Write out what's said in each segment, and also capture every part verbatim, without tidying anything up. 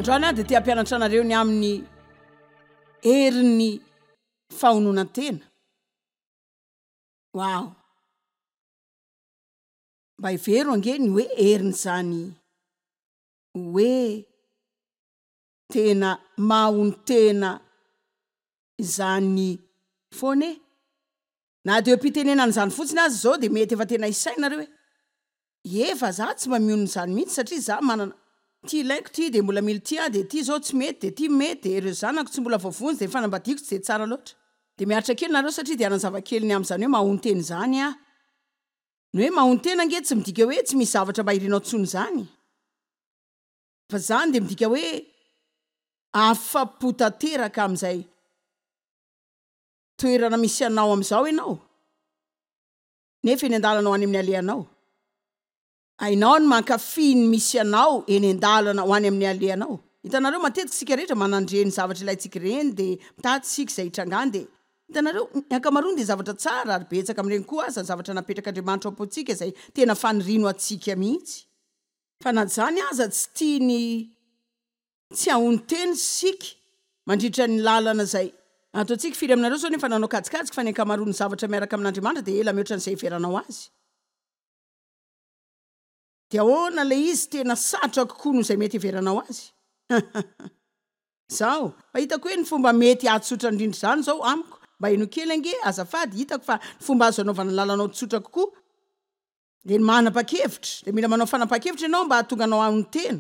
Androany aho dia te hampianatra anareo ny amin'ny herin'ny fahononan-tena. Wow! Mba hevero ange ny hoe herin'izany hoe tena mahonon-tena izany foana e! Na dia eo am-pitenenana izany fotsiny aza izao dia mety efa tena hisaina nareo hoe, ie fa za tsy mba mionona izany mihitsy satria za manana ity ilaiko ity dia mbola mila ity aho dia ity izao tsy mety dia ity mety dia ireo zanako tsy mbola voavonjy dia ny fanambadiako tsy dia tsara loatra. Dia miaritra kely nareo satria dia hanazava kely ny amin'izany hoe mahonon-tena izany aho. Ny hoe mahonon-tena ange tsy midika hoe tsy misy zavatra mba irinao intsony izany. Fa izany dia midika hoe afa-po tanteraka amin'izay toerana misy anao amin'izao ianao, nefa eny an-dalana ho any amin'ny alehanao. Hainao ny mankafy ny misy anao eny an-dalana ho any amin'ny alehanao. Hitanareo, matetika isika rehetra manandre ny zavatra ilaintsika ireny, dia mitady isika izay hitrangany, dia, hitanareo, ny ankamaroany dia zavatra tsara, ary betsaka amin'ireny koa aza ny zavatra napetrak'Andriamanitra ao am-pontsika izay tena faniriany ho antsika mihitsy. Fa na izany aza, tsy tiany Tsy hahonon-tena isika mandritra ny lalana izay ataontsika. Firy aminareo izao no efa nanao kajikajy fa ny ankamaroan'ny zavatra miaraka amin'Andriamanitra dia ela mihoatra an'izay heveranao azy? Dia ahoana ilay izy tena sarotra kokoa noho izay mety heveranao azy? Izao, fa hitako hoe ny fomba mety hahatsotra indrindra izany izao amiko, mba henoy kely ange, azafady, hitako fa ny fomba azo anaovana ny lalanao tsotra kokoa dia ny manapa-kevitra. Dia mila manao fanapahan-kevitra ianao mba hahatonga anao hahonon-tena.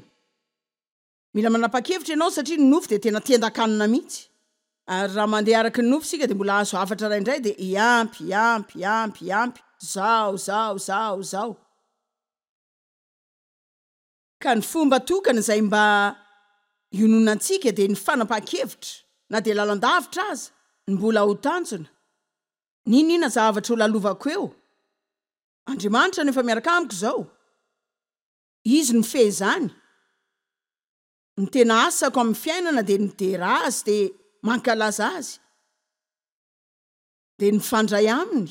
Mila manapa-kevitra ianao satria ny nofo dia tena tendan-kanina mihitsy. Ary raha mandeha araka ny nofo isika dia mbola hahazo hafatra iray indray dia hiampy, hiampy, hiampy, hiampy, zao, zao, zao, zao. Ka ny fomba tokana izay mba hiononantsika dia ny fanapahan-kevitra, na dia lalan-davitra aza, ny mbola ho tanjona. N'inon'inona zavatra ho lalovako eo, Andriamanitra no efa miaraka amiko izao. Izy no mifehy izany. Ny tena asako amin'ny fiainana dia ny midera Azy, dia mankalaza Azy, dia ny mifandray Aminy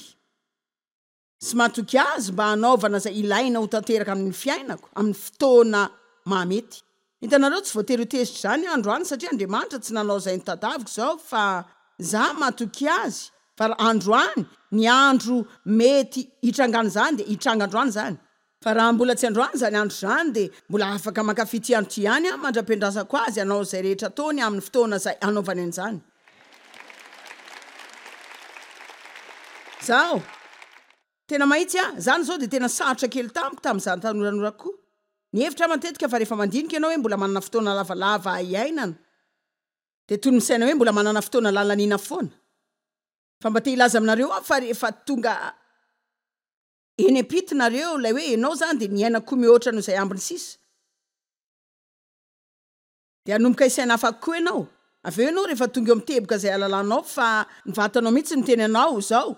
sy matoky Azy mba hanaovana izay ilaina ho tanteraka amin'ny fiainako amin'ny fotoana mahamety. Hitanareo, tsy voatery ho tezitra izany aho androany satria Andriamanitra tsy nanao izay notadaviko izao fa za matoky Azy fa raha androany ny andro mety hitrangan'izany dia hitranga androany izany. Fa raha mbola tsy androany izany andro izany dia mbola afaka mankafy ity andro ity ihany aho mandra-piandrasako azy hanao izay rehetra ataony amin'ny fotoana izay hanaovany an'izany. Izaho, tena mahitsy aho, izany izao dia tena sarotra kely tamiko tamin'izaho tanoranora koa. Nihevitra aho matetika fa rehefa mandinika ianao hoe mbola manana fotoana lavalava hiainana dia toy ny misaina hoe mbola manana fotoana lalaniana foana. Fa mba te hilaza aminareo aho fa rehefa tonga Eny am-pito nareo ilay hoe enao zany dia miaina koa mihoatra noho izay ambiny sisa. Dia hanomboka hisaina hafa koa enao. Avy eo enao rehefa tonga eo amin'ny teboka izay halalanao fa ny vatanao mihitsy no miteny anao izao,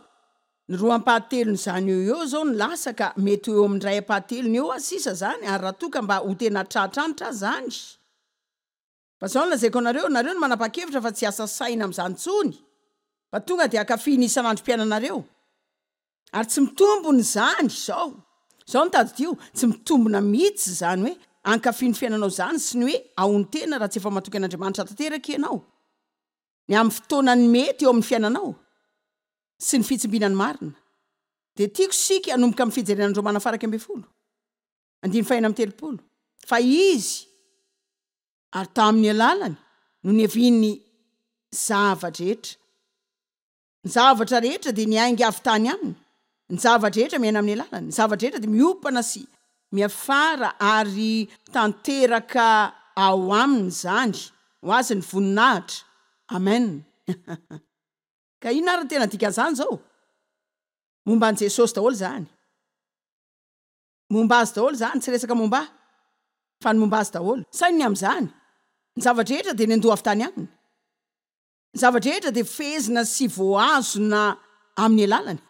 ny roa ampahatelon'izany eo eo izao no lasa ka mety ho eo amin'ny iray ampahatelony eo aza sisa izany ary raha toa ka mba ho tena tratranitra aza izany. Fa izao no lazaiko anareo, nareo no manapa-kevitra fa tsy hiasa saina amin'izany intsony fa tonga dia hankafy ny isan'androm-piainanareo. Ary tsy mitombona izany izao. Izao no tadidio, tsy mitombona mihitsy izany hoe hankafy ny fiainanao izany sy ny hoe hahonon-tena raha tsy efa matoky an'Andriamanitra tanteraka ianao, ny amin'ny fotoanany mety eo amin'ny fiainanao sy ny fitsimbinany marina. Dia tiako isika hanomboka amin'ny fijerena ny Romana faha iraika ambin'ny folo, andininy fahenina amby telopolo, fa Izy, ary tamin'ny alalany no niavian'ny zava-drehetra. Ny zavatra rehetra dia niainga avy tany aminy, ny zava-drehetra miaina amin'ny alalany, ny zava-drehetra dia miompana sy miafara ary tanteraka ao aminy izany. Ho azy ny voninahitra. Amen. Ka inona ary ny tena dikan'izany izao? Momba an'i Jesosy daholo izany. Momba azy daholo izany, tsy resaka momba ahy, fa ny momba azy daholo. Saino ny amin'izany. Ny zava-drehetra dia niandoha avy tany aminy. Ny zava-drehetra dia fehezina sy voahazona amin'ny alalany.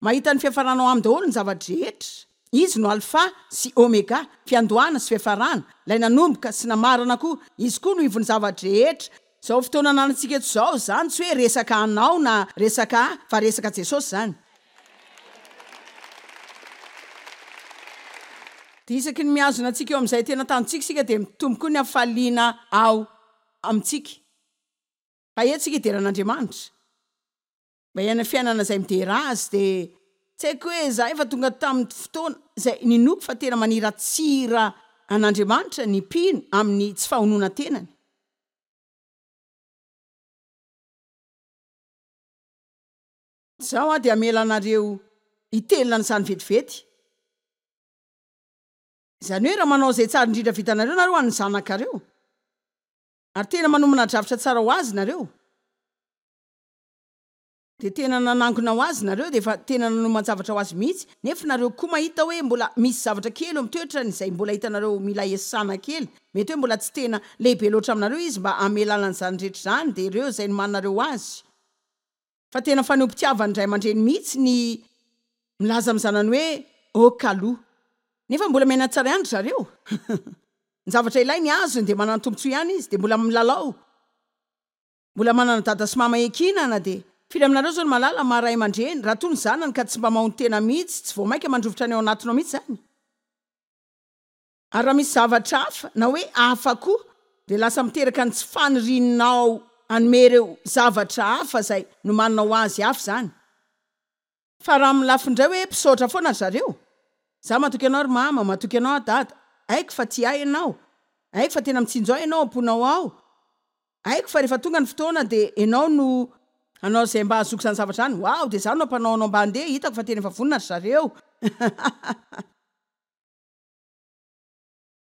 Mahita ny fiafarana ao aminy daholo ny zava-drehetra. Izy no Alfa sy Omega, fiandohana sy fiafarana, ilay nanomboka sy namarana koa. Izy koa no ivon'ny zava-drehetra. Izao fotoana ananantsika eto izao izany tsy hoe resaka anao na resaka ahy fa resaka Jesosy izany. Dia isaky ny mihazona antsika eo amin'izay tena tanjontsika isika dia mitombo koa ny hafaliana ao amintsika. Fa eto isika hidera an'Andriamanitra. Mba hiaina fiainana izay midera Azy dia tsy haiko hoe za efa tonga tamin'ny fotoana izay ninoako fa tena maniratsira an'Andriamanitra ny mpino amin'ny tsy fahononan-tenany. Izao aho dia hamela anareo hitelina an'izany vetivety. Izany hoe raha manao izay tsara indrindra vitanareo nareo ho an'ny zanakareo, ary tena manomana drafitra tsara ho azy nareo, dia tena nanangona ho azy nareo, dia efa tena nanoman-javatra ho azy mihitsy, nefa nareo koa mahita hoe mbola misy zavatra kely eo amin'ny toetrany izay mbola hitanareo mila iasana kely, mety hoe mbola tsy tena lehibe loatra aminareo izy mba hamelana an'izany rehetra izany, dia ireo izay nomaninareo ho azy. Fa tena fanehoam-pitiavan'ny ray aman-dreny mihitsy ny milaza amin'ny zanany hoe ok aloha. Nefa mbola miaina tsara ihany ry zareo. Ny zavatra ilainy azony dia manana tombontsoa ihany izy, dia mbola milalao. Mbola manana dada sy mama ekina na dia. Firy aminareo izao no mahalala maha ray aman-dreny raha toa ny zanany ka tsy mba mahonon-tena mihitsy, tsy vao mainka mandrovitra ny ao anatinao mihitsy izany? Ary raha misy zavatra hafa, na hoe hafa koa, dia lasa miteraka ny tsy fanirianao hanome ireo zavatra hafa izay nomaninao ho azy hafa izany. Fa raha amin'ny lafiny indray hoe mpisaotra foana ry zareo. Za matoky anao ry mama, matoky anao aho dada, haiko fa tia ahy ianao, haiko fa tena mitsinjo ahy ianao am-ponao ao, haiko fa rehefa tonga ny fotoana dia ianao no hanao izay mba hahazoako izany zavatra izany, waouh dia izaho no hampanao anao mba handeha, hitako fa tena efa vonona ry zareo.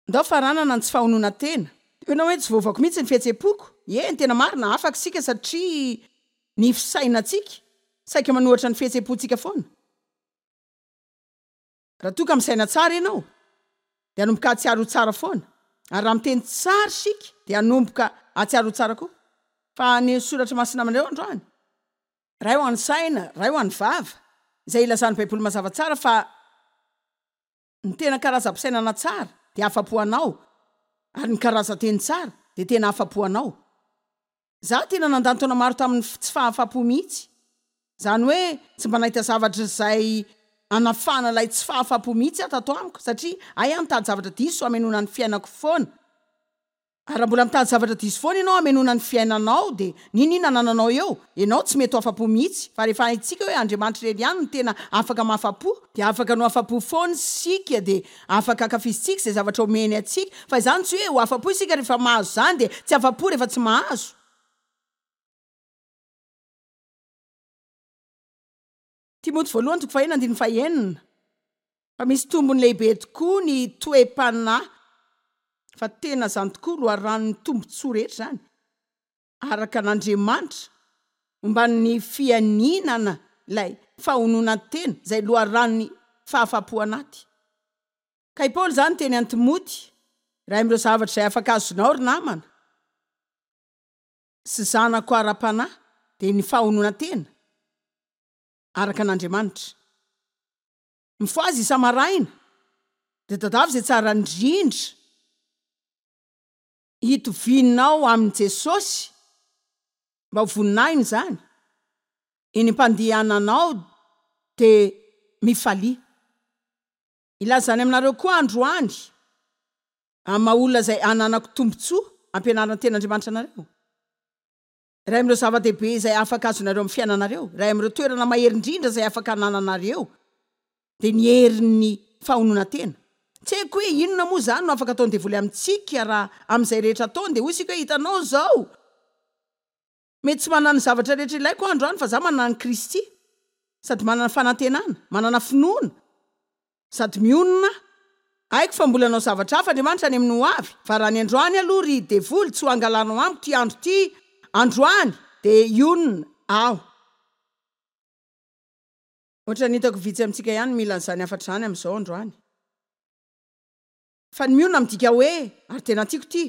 Ndao faranana ny tsy fahononan-tena. Tena hoe tsy voavako mihitsy ny fihetseham-poko. Eny, tena marina, afaka isika satria ny fisainantsika saika manohatra ny fihetseham-pontsika foana. Raha toa ka misaina tsara ianao, dia hanomboka hahatsiaro ho tsara foana. Ary raha miteny tsara isika, dia hanomboka hahatsiaro ho tsara koa. Fa ny soratra masina aminareo androany, iray ho an'ny saina, iray ho an'ny vava, izay ilazan'ny Baiboly mazava tsara fa ny tena karazam-pisainana tsara dia afa-po anao, ary ny karazan-teny tsara dia tena afa-po anao. Izaho tena nandany taona maro tamin'ny tsy fahafapo mihitsy. Izany hoe tsy mba nahita zavatra izay hanafahana ilay tsy fahafapo mihitsy aho tato amiko, satria hay aho nitady zavatra diso hamenoana ny fiainako foana. Ary raha mbola mitady zavatra diso foana ianao hamenoana ny fiainanao dia n'inon'inona anananao eo, ianao tsy mety ho afa-po mihitsy. Fa rehefa haintsika hoe Andriamanitra irery ihany no tena afaka mahafa-po, dia afaka ny ho afa-po foana isika, dia afaka ankafizintsika izay zavatra omeny antsika. Fa izany tsy hoe ho afa-po isika rehefa mahazo izany dia tsy afa-po rehefa tsy mahazo. Timoty voalohany toko fahenina andininy fahenina. Fa misy tombony lehibe tokoa ny toe-panahy, fa tena izany tokoa loharanon'ny tombontsoa rehetra izany, araka an'Andriamanitra, momba ny fianinana ilay fahononan-tena, izay loharanon'ny fahafapo anaty. Ka i Paoly izany niteny an'i Timoty, iray amin'ireo zavatra izay afaka azonao ry namana sy zanako ara-panahy, dia ny fahononan-tena araka an'Andriamanitra. Mifohaza isa-maraina, dia tadiavo izay tsara indrindra hitovianao amin'i Jesosy, mba ho voninahiny izany. Eny am-pandehananao dia mifalia. Hilaza izany aminareo koa androany, amin'ny maha-olona izay ananako tombontsoa hampianarina ny Tenin'Andriamanitra anareo. Iray amin'ireo zava-dehibe izay afaka azonareo amin'ny fiainanareo, iray amin'ireo toerana mahery indrindra izay afaka anananareo, dia ny herin'ny fahononan-tena. Tsy haiko hoe inona moa izany no afaka ataon'ny devoly amintsika raha amin'izay rehetra ataony dia hoy isika hoe hitanao izao, mety tsy manana ny zavatra rehetra ilaiko aho androany fa za manana an'i Kristy, sady manana fanantenana, manana finoana, sady mionona aho. Haiko fa mbola hanao zavatra hafa Andriamanitra any amin'ny ho avy, fa raha ny androany aloha ry devoly tsy ho angalanao amiko ity andro ity androany dia hionona aho. Ohatran'ny hitako vitsy amintsika ihany mila an'izany hafatra izany amin'izao androany. Fa ny mionona midika hoe, ary tena tiako ity,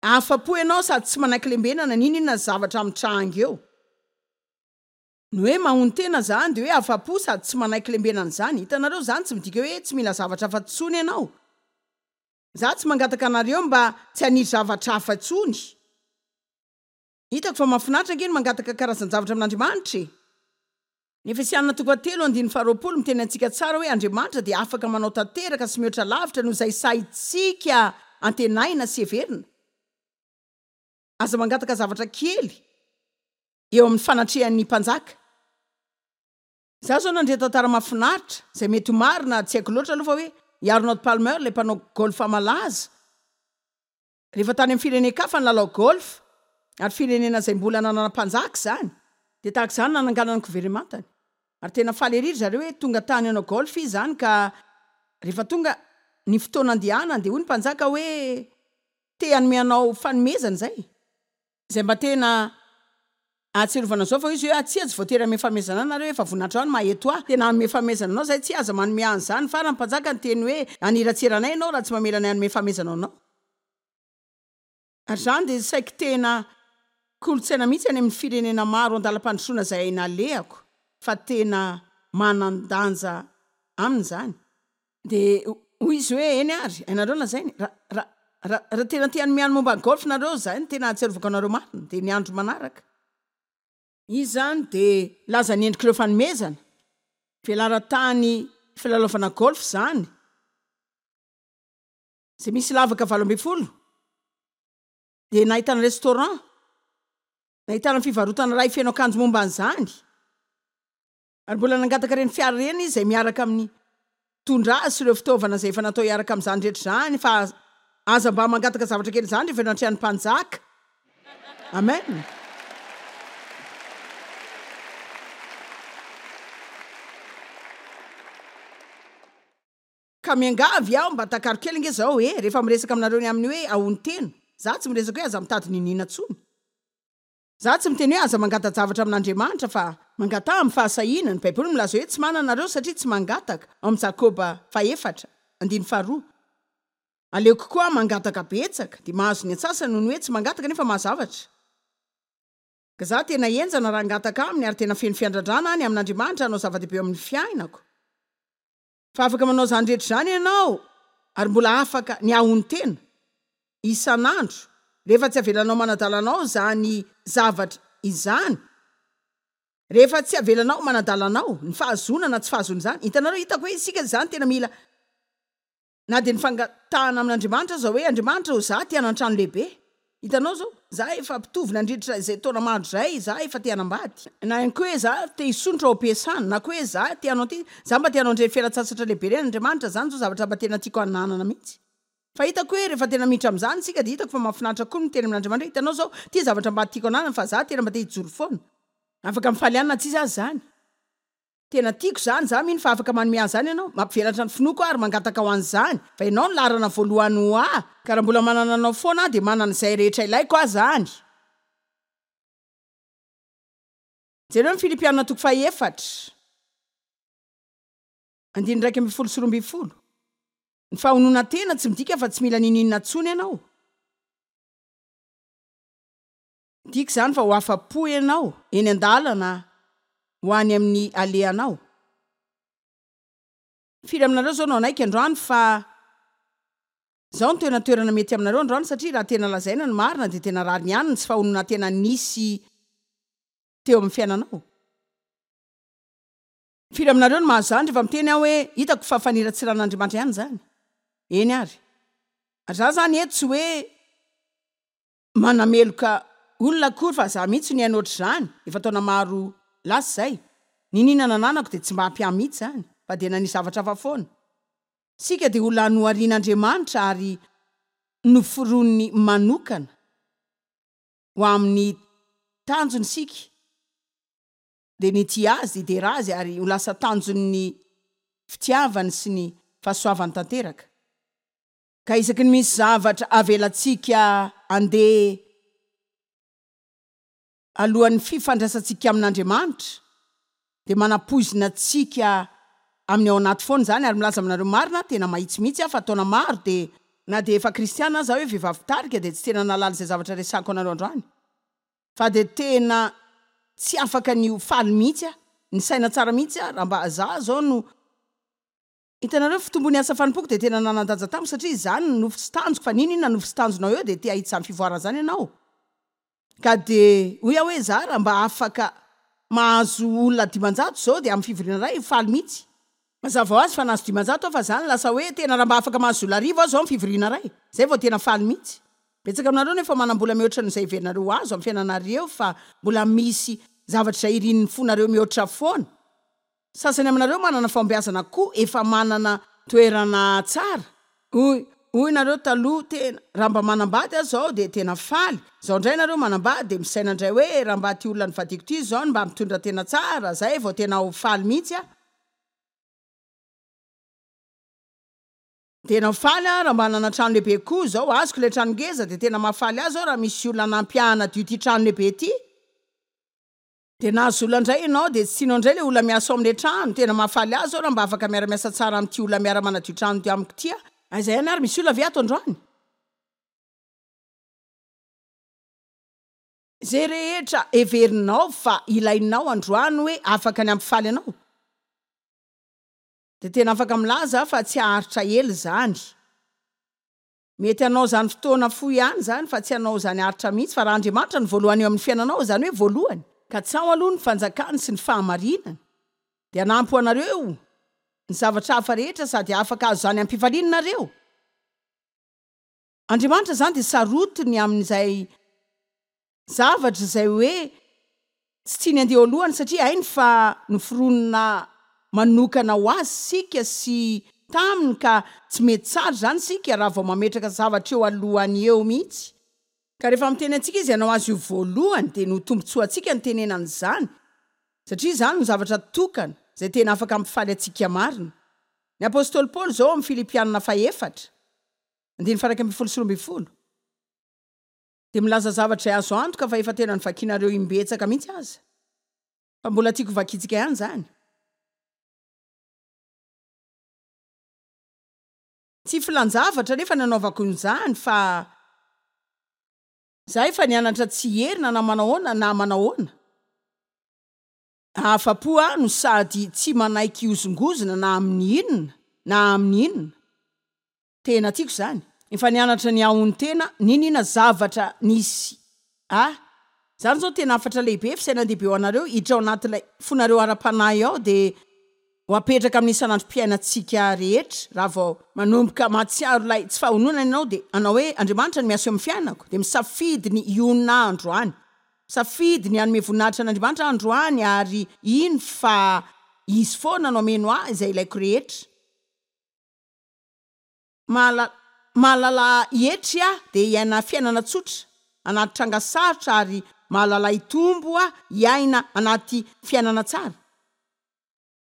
afa-po ianao sady tsy manaiky lembenana n'inon'inona zavatra mitranga eo. Ny hoe mahonon-tena izany dia hoe afa-po sady tsy manaiky lembenana izany. Hitanareo, izany tsy midika hoe tsy mila zavatra hafa intsony ianao. Izaho tsy mangataka anareo mba tsy haniry zavatra hafa intsony. Hitako fa mahafinaritra ange ny mangataka karazan-javatra amin'Andriamanitra e! Ny Efesianina toko fahatelo andininy faharoapolo miteny antsika tsara hoe Andriamanitra dia afaka manao tanteraka sy mihoatra lavitra noho izay sahintsika antenaina sy heverina. Aza mangataka zavatra kely eo amin'ny fanatrehan'ny mpanjaka. Izaho izao nandre tantara mahafinaritra, izay mety ho marina, tsy haiko loatra aloha fa hoe i Arnold Palmer, ilay mpanao golf malaza, rehefa tany amin'ny firenen-kafa nilalao golf, ary firenena izay mbola nanana mpanjaka izany, dia tahaka izany nananganana ny governemantany. Ary tena faly ery ry zareo hoe tonga tany hanao golf izy izany ka rehefa tonga ny fotoana andehanany dia hoy ny mpanjaka hoe te hanome anao fanomezana izay. Izay mba tena ahatsiarovana izao fa hoy izy hoe tsia tsy voatery hanome fanomezana ahy nareo efa voninahitra ahy ny maha eto ahy. Tena hanome fanomezana anao izay tsia aza manome ahy an'izany. Farany ny mpanjaka niteny hoe haniratsira anay ianao raha tsy mamela anay hanome fanomezana anao. Ary izany dia saiky tena kolontsaina mihitsy any amin'ny firenena maro andalam-pandrosoana izay nalehako fa tena manan-danja aminy izany. Dia hoy izy hoe, Eny ary, hainareo lazainy, raha, raha, raha, raha tena te hanome ahy ny momba ny golf nareo, izay no tena ahatsiarovako anareo marina, dia ny andro manaraka. Izy izany dia nilaza ny endrik'ireo fanomezana, velaran-tany filalaovana golf izany, izay misy lavaka valo ambin'ny folo, dia nahitana restaurant, nahitana fivarotana iray feno akanjo momba an'izany. Ary mbola nangataka ireny fiara ireny izy izay miaraka amin'ny mitondra azy sy ireo fitaovana izay efa natao hiaraka amin'izany rehetra izany, fa aza mba mangataka zavatra kely izany rehefa eo anatrehan'ny mpanjaka. Amen. Ka miangavy aho mba takaro kely ange zao e, rehefa miresaka aminareo ny amin'ny hoe ahontena, za tsy miresaka hoe aza mitady niniana tsony. Za tsy miteny hoe aza mangata-javatra amin'Andriamanitra fa mangataha amin'ny fahasahiana, ny baiboly milaza hoe tsy manana nareo satria tsy mangataka, ao amin'ny Jakoba fahefatra, andininy faharoa. Aleoko koa mangataka betsaka dia mahazo ny antsasany noho ny hoe tsy mangataka nefa mahazo zavatra. Ka za tena henjana raha hangataka aminy ary tena feno fiandradrana aho ny amin'Andriamanitra hanao zava-dehibe eo amin'ny fiainako. Fa afaka manao izany rehetra izany ianao ary mbola afaka ny hahonon-tena isan'andro rehefa tsy avelanao manadala anao izany zavatra izany. Rehefa tsy avelanao manadala anao ny fahazoana na tsy fahazoana izany. Hitanareo, hitako hoe isika izany tena mila na dia ny fangatahana amin'Andriamanitra aza hoe, Andriamanitra ô, za te hanan-trano lehibe. Hitanao izao, za efa mpitovo nandritra izay taona maro izay, za efa te hanambady. Na ihany koa hoe za te hisondrotra ao am-piasana, na koa hoe za te hanao ity, za mba te hanao an'ireny fialan-tsasatra lehibe ireny, Andriamanitra, izany izao zavatra mba tena tiako hananana mihitsy. Fa hitako hoe rehefa tena miditra amin'izany isika dia hitako fa mahafinaritra koa ny miteny amin'Andriamanitra hoe hitanao izao, ity zavatra mba tiako hananana fa za tena mba te hijoro foana. Afaka mifaly ihany na tsisy aza izany. Tena tiako izany, za mino fa afaka manome ahy izany ianao, mampivelatra ny finoako aho ary mangataka ho an'izany, fa ianao no laharana voalohany ho ahy, ka raha mbola manana anao foana aho dia manana izay rehetra ilaiko aho izany. Jereo ny Filipiana toko fahefatra, andininy iraika ambin'ny folo sy roa ambin'ny folo. Ny fahononan-tena tsy midika fa tsy mila n'inon'inona intsony ianao. Midika izany fa ho afa-po ianao eny an-dalana ho any amin'ny alehanao. Firy aminareo izao no hanaiky androany fa izao no tena toerana mety aminareo androany satria raha tena lazaina ny marina dia tena rariny ihany ny tsy fahononan-tena nisy teo amin'ny fiainanao. Firy aminareo no mahazo izany rehefa miteny aho hoe hitako fa faniratsiran'Andriamanitra ihany izany? Eny ary. Ary za izany eto tsy hoe manameloka olona akory fa za mihitsy no niaina ohatr'izany efa taona maro lasa izay. Niniana nananako dia tsy mba ampy ahy mihitsy izany fa dia nanisy zavatra hafa foana. Isika dia olona noharian'Andriamanitra ary noforoniny manokana ho amin'ny tanjony isika dia ny hitia Azy, hidera Azy ary ho lasa tanjon'ny fitiavany sy ny fahasoavany tanteraka. Ka isaky ny misy zavatra avelantsika handeha alohan'ny fifandraisantsika amin'Andriamanitra, dia manapoizina antsika amin'ny ao anaty foana izany, ary milaza aminareo marina aho, tena mahitsy mihitsy aho fa taona maro dia, na dia efa kristiana aza aho hoe vehivavy mpitarika, dia tsy tena nahalala izay zavatra resahako anareo androany, fa dia tena tsy afaka ny ho faly mihitsy aho, nisaina tsara mihitsy aho, raha mba za izao no. Hitanareo, fitombon'ny asa fanompoako dia tena nanan-danja tamiko satria izany no nofy sy tanjoko, fa n'inon'inona nofy sy tanjonao eo dia te hahita izany fivoarana izany ianao. Ka dia hoy aho hoe za raha mba afaka mahazo olona dimanjato izao dia amin'ny fivoriana iray faly mihitsy. Mazava ho azy fa nahazo dimanjato aho fa zany lasa hoe tena raha mba afaka mahazo olona arivo aho izao amin'ny fivoriana iray, zay vao tena faly mihitsy. Betsaka aminareo no efa manam-bola mihoatra noho izay heverinareo ho azo amin'ny fiainanareo fa mbola misy zavatra izay irin'ny fonareo mihoatra foana. Sasany aminareo manana fahombiazana koa efa manana toerana tsara. Hoy hoy nareo taloha tena raha mba manambady aho zao dia tena faly. Zao indray nareo manambady dia misaina indray hoe raha mba ty olona nivadiako ty zao no mba mitondra tena tsara zay vao tena ho faly mihitsy aho. Tena ho faly aho raha mba hanana trano lehibe koa zao. Azoko ilay trano ngeza dia tena mahafaly ahy zao raha misy olona hanampy ahy hanadio ity trano lehibe ity. Dia nahazo olona indray ianao dia tsy tianao indray ilay olona miasa ao amin'ilay trano. Tena mahafaly ahy zao raha mba afaka miara-miasa tsara amin'ity olona miara-manadio trano ity amiko ity aho. Aiza ihany ary misy olona ve ato androany? Izay rehetra heverinao fa ilainao androany hoe afaka ny hampifaly anao, dia tena afaka milaza aho fa tsy haharitra ela izany. Mety hanao izany fotoana fohy ihany izany fa tsy hanao izany haharitra mihitsy. Fa raha Andriamanitra no voalohany eo amin'ny fiainanao, izany hoe voalohany, katsaho aloha ny fanjakany sy ny fahamarinany, dia hanampy ho anareo ny zavatra hafa rehetra sady afaka hahazo izany am-pifaliana nareo. Andriamanitra izany dia sarotiny amin'izay zavatra izay hoe tsy tiany handeha eo alohany satria hainy fa noforonina manokana ho azy isika sy taminy ka tsy mety tsara izany isika raha vao mametraka zavatra eo alohany eo mihitsy. Ka rehefa miteny antsika izy hanao azy io voalohany dia ny ho tombontsoantsika no tenenany izany satria izany no zavatra tokana izay tena afaka hampifaly antsika marina. Ny apostoly Paoly izao ao amin'ny Filipianina fahefatra, andininy faha iraika ambin'ny folo sy roa ambin'ny folo, dia milaza zavatra izay azo antoka fa efa tena novakinareo imbetsaka mihitsy aza, fa mbola tiako hovakintsika ihany izany. Tsy filan-javatra anefa ny anaovako an'izany fa za efa nianatra tsy hierina na manahoana na manahoana. Afa-po aho no sady tsy manaiky hihozongozona na amin'ny inona na amin'ny inona. Tena tiako izany. Efa nianatra ny hahonon-tena n'inona zavatra nisy ahy. Izany izao tena hafatra lehibe, fisainan-dehibe ho anareo, hiditra ao anatin'ilay fonareo ara-panahy ao dia ho apetraka amin'ny isan'androm-piainantsika rehetra. Raha vao manomboka mahatsiaro ilay tsy fahononana ianao dia hanao hoe, Andriamanitra no miasa eo amin'ny fiainako, dia misafidy ny hionona aho androany. Misafidy ny hanome voninahitra an'Andriamanitra aho androany ary hino fa Izy foana no hameno ahy izay ilaiko rehetra. Mahalala mahalala hietry aho dia hiaina fiainana tsotra anaty tranga sarotra ary mahalala hitombo aho hiaina anaty fiainana tsara.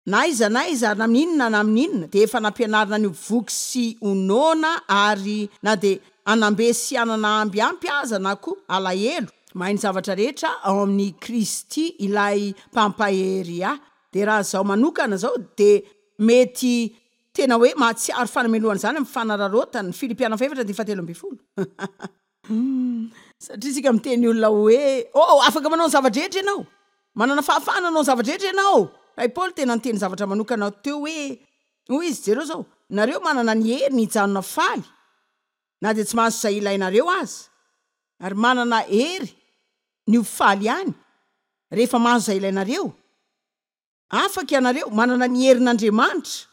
Na aiza na aiza ary na amin'inona na amin'inona dia efa nampianarina ny ho voky sy ho noana ary na dia hanam-be sy hanana amby ampy aza na koa alahelo. Mahay ny zavatra rehetra ao amin'i Kristy ilay Mpampahery ahy. Dia raha izaho manokana izao dia mety tena hoe mahatsiaro fanamelohana izany amin'ny fanararaotana ny Filipiana fahefatra andininy fahatelo ambin'ny folo. Satria isika miteny olona hoe, Oh, afaka manao ny zava-drehetra ianao! Manana fahafahana hanao ny zava-drehetra ianao! Fa i Paoly tena niteny zavatra manokana teo hoe, hoy izy, jereo izao, nareo manana ny hery ny hijanona faly na dia tsy mahazo izay ilainareo aza, ary manana hery ny ho faly ihany rehefa mahazo izay ilainareo. Afaka ianareo, manana ny herin'Andriamanitra.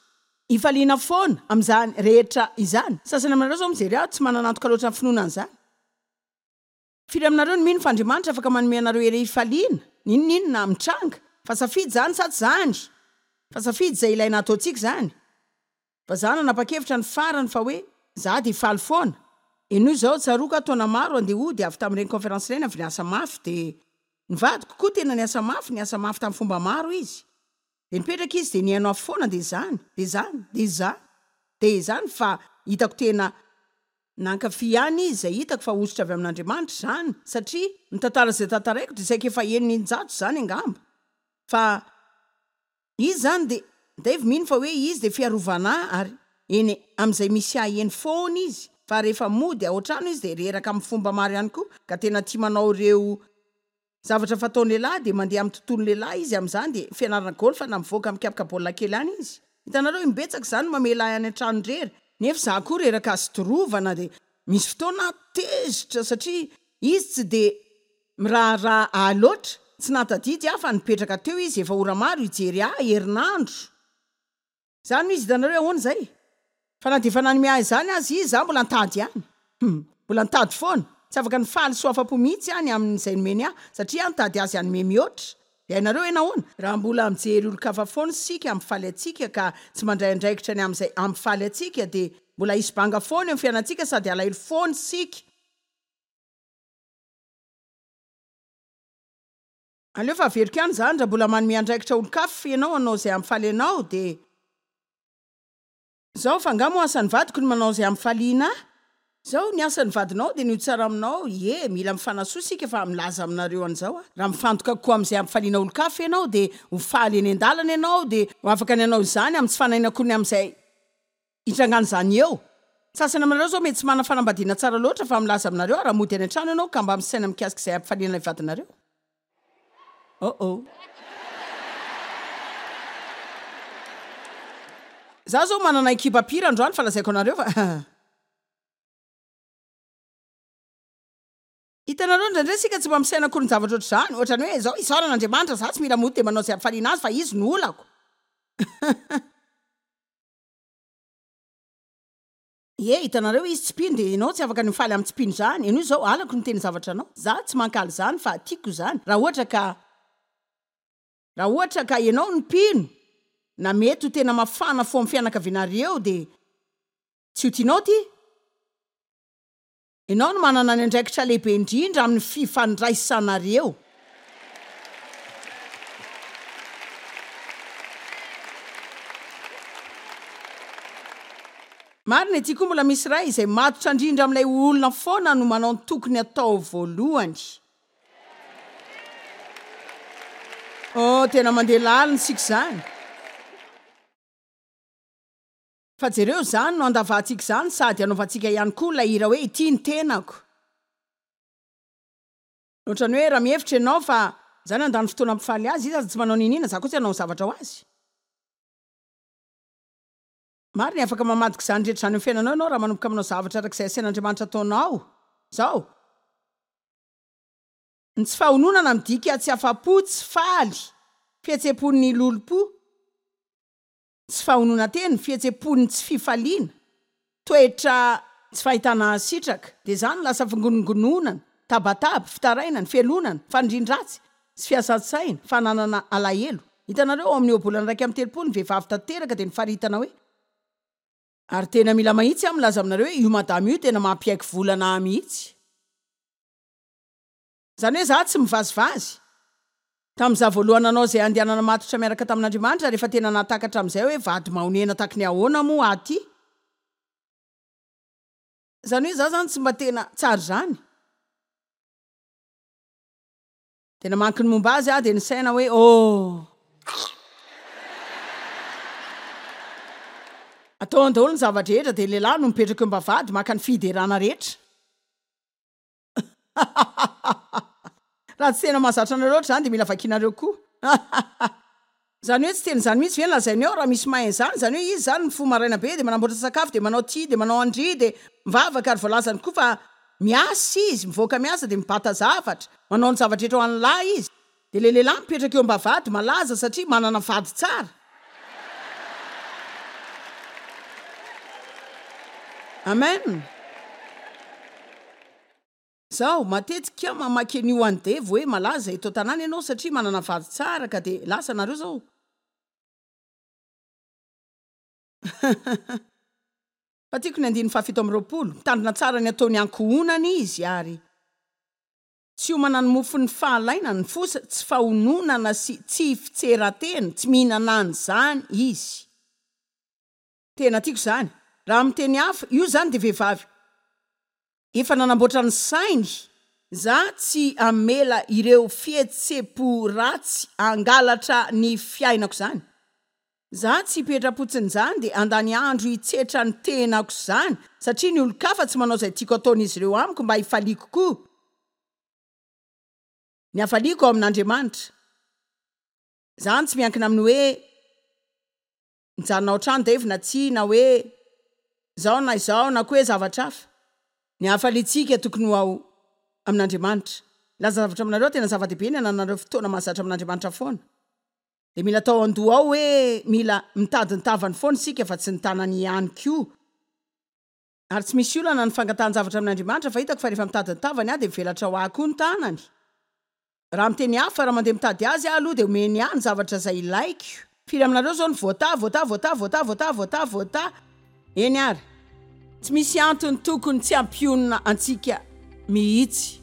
Hifaliana foana amin'izany rehetra izany. Sasany aminareo izao mijery ahy, tsy manana antoka loatra ny finoana an'izany. Firy aminareo no mino fa Andriamanitra afaka manome anareo hery hifaliana, n'inon'inona mitranga? Fa safidy izany sa tsy izany? Fa safidy izay ilaina hataontsika izany. Fa za nanapa-kevitra ny farany fa hoe za dia hifaly foana. Henoy izao, tsaroako aho taona maro andeha hody avy tamin'ireny conférence ireny avy niasa mafy dia ny vadiko koa tena niasa mafy, niasa mafy tamin'ny fomba maro izy. Dia nipetraka izy dia nihaino ahy foana dia izany, dia izany, dia izany, dia izany fa hitako tena nankafy ihany izy izay hitako fa hosotra avy amin'Andriamanitra izany satria ny tantara izay tantaraiko dia saika efa henony in-jato izany angamba fa izy izany dia Dave mino fa hoe izy dia fiarovana ahy ary eny amin'izay misy ahy eny foana izy fa rehefa mody ao an-trano izy dia reraka amin'ny fomba maro ihany koa ka tena tia manao ireo zavatra fataon'ny lehilahy dia mandeha amin'ny tontolon'ny lehilahy izy amin'izany dia fianarana golf na mivoaka mikapoka baolina kely any izy. Hitanareo, imbetsaka izany no mamela ahy any an-trano irery. Nefa izaho koa reraka sy torovana dia misy fotoana aho tezitra satria izy tsy dia miraharaha ahy loatra. Tsy nahatadidy aho fa nipetraka teo izy efa ora maro hijery ahy herinandro. Izany no izy hitanareo hoe ahoana izay? Fa na dia efa nanome ahy izany aza izy, izaho mbola nitady ihany. Hum. Mbola nitady foana. Tsy afaka nifaly sy ho afa-po mihitsy aho ny amin'izay nomeny ahy, satria aho nitady azy hanome mihoatra. Dia hainareo hoe nahoana? Raha mbola mijery olon-kafa foana isika hampifaly antsika ka tsy mandray andraikitra ny amin'izay hampifaly antsika, dia mbola hisy banga foana eo amin'ny fiainantsika sady halahelo foana isika. Aleo fa averiko ihany izany, raha mbola manome andraikitra olon-kafa ianao hanao izay hampifaly anao dia. Izao, fa angaha moa asan'ny vadiko ny manao izay hampifaliana ahy? Izao, ny asan'ny vadinao dia ny ho tsara aminao, ie, mila mifanasoa isika fa milaza aminareo an'izao aho, raha mifantoka kokoa amin'izay hampifaliana olon-kafa ianao dia ho faly eny an-dalana ianao dia ho afaka ny hanao izany amin'ny tsy fanahiana akory ny amin'izay hitrangan'izany eo. Ny sasany aminareo izao mety tsy manana fanambadiana tsara loatra fa milaza aminareo aho raha mody any an-trano ianao ka mba misaina mikasika izay hampifaliana ilay vadinareo. Oh oh. Za zao manana ekipa mpihira androany fa lazaiko anareo fa. Hitanareo indraindray isika tsy mba misaina akory ny zavatra ohatr'izany, ohatrany hoe zao isaorana Andriamanitra za tsy mila mody dia manao izay hampifaliana azy fa izy no olako. Ie, hitanareo izy tsy mpino dia ianao tsy afaka ny mifaly amin'ny tsy mpino izany, ianao izao halako ny miteny zavatra anao, za tsy mankahala izany fa tiako izany raha ohatra ka raha ohatra ka ianao no mpino na mety ho tena mafana fo amin'ny fianakavianareo dia tsy ho tianao ity. Ianao no manana ny andraikitra lehibe indrindra amin'ny fifandraisanareo. Marina ity koa mbola misy iray izay matotra indrindra amin'ilay olona foana no manao ny tokony atao voalohany. Oh, tena mandeha lalina isika izany. Fa jereo, izany no andavantsika izany sady anaovantsika ihany koa ilay hira hoe Ity ny tenako. Ohatran'ny hoe raha mihevitra ianao fa za nandany fotoana hampifaly azy, izy aza tsy manao n'inon'inona, za koa tsy hanao zavatra ho azy. Marina e, afaka mamadika izany rehetra izany eo amin'ny fiainanao ianao raha manomboka manao zavatra araka izay asain'Andriamanitra ataonao izao. Ny tsy fahononana midika tsy afa-po, tsy faly, fihetseham-pon'ny lolompo, tsy fahononan-tena, fihetseham-pon'ny tsy fifaliana, toetra tsy fahitana sitraka, dia izany no lasa fingonongononana, tabataba, fitarainana, fialonana, fanirian-dratsy sy fiasan-tsaina, fananana alahelo. Hitanareo, ao amin'ny ohabolana iraika amby telopolo, ny vehivavy tanteraka dia nofaritana hoe. Ary tena mila mahitsy aho milaza aminareo hoe io madama io tena mampiaiky volana ahy mihitsy. Izany hoe izaho tsy mivazivazy. Tamin'izaho voalohany nanao izay handehanana matotra miaraka tamin'Andriamanitra ary efa tena nahatakatra amin'izay hoe vady mahonena taky ny ahoana moa aho ity. Izany hoe izaho izany tsy mba tena tsara izany. Dia namaky ny momba azy aho dia nisaina hoe, Oh! Ataony daholo ny zava-drehetra dia lehilahy no mipetraka eo am-bavahady maka ny fiderana rehetra. Raha tsy tena mahazatra anareo loatra izany dia mila vakianareo koa. Izany hoe tsy tena izany mihitsy ve no lazainy ao raha misy mahay an'izany? Izany hoe izy izany mifoha maraina be dia manamboatra sakafo dia manao tia dia manao an-dry dia mivavaka ary voalazany koa fa miasa izy, mivoaka miasa dia mibata zavatra, manao ny zava-drehetra ho an'ny lahy izy. Dia ilay lehilahy mipetraka eo am-bavahady malaza satria manana vady tsara. Amen. Zaho matetika mamaky an'io an'i Devo hoe malaza eto an-tanàna ianao satria manana vady tsara ka dia lasa nareo zao. Fa tiako ny andininy fahafito amby roapolo, mitandrina tsara ny ataony ankohonana izy ary. Tsy homana ny mofon'ny fahalainana, ny fosa, tsy fahononana sy tsy fitseran-tena, tsy mihinana an'izany izy. Tena tiako izany. Raha amin'ny teny hafa, io izany dia vehivavy efa nanamboatra ny sainy. Za tsy hamela ireo fihetsem-po ratsy hangalatra ny fiainako izany. Za tsy hipetra-potsiny izany dia handany andro hitsetra ny tenako izany satria ny olon-kafa tsy manao izay tiako ataon'izy ireo amiko mba hifaliako koa. Ny hafaliako ao amin'Andriamanitra. Izany tsy miankina amin'ny hoe mijanona ao an-trano Dave na tsia na hoe izao na izao na koa hoe zavatra hafa. Ny hafaliantsika tokony ho ao amin'Andriamanitra. Milaza zavatra aminareo aho, tena zava-dehibe ny hanananareo fotoana mahazatra amin'Andriamanitra foana. Dia mila atao an-doha ao hoe mila mitady ny Tavany foana isika fa tsy ny Tanany ihany koa. Ary tsy misy olana ny fangatahan-javatra amin'Andriamanitra fa hitako fa rehefa mitady ny Tavany aho dia mivelatra ho ahy koa ny Tanany. Raha miteny hafa, raha mandeha mitady Azy aho aloha dia omeny ahy ny zavatra izay ilaiko. Firy aminareo izao no voatahy, voatahy, voatahy, voatahy, voatahy, voatahy, voatahy? Eny ary. Tsy misy antony tokony tsy hampionona antsika mihitsy.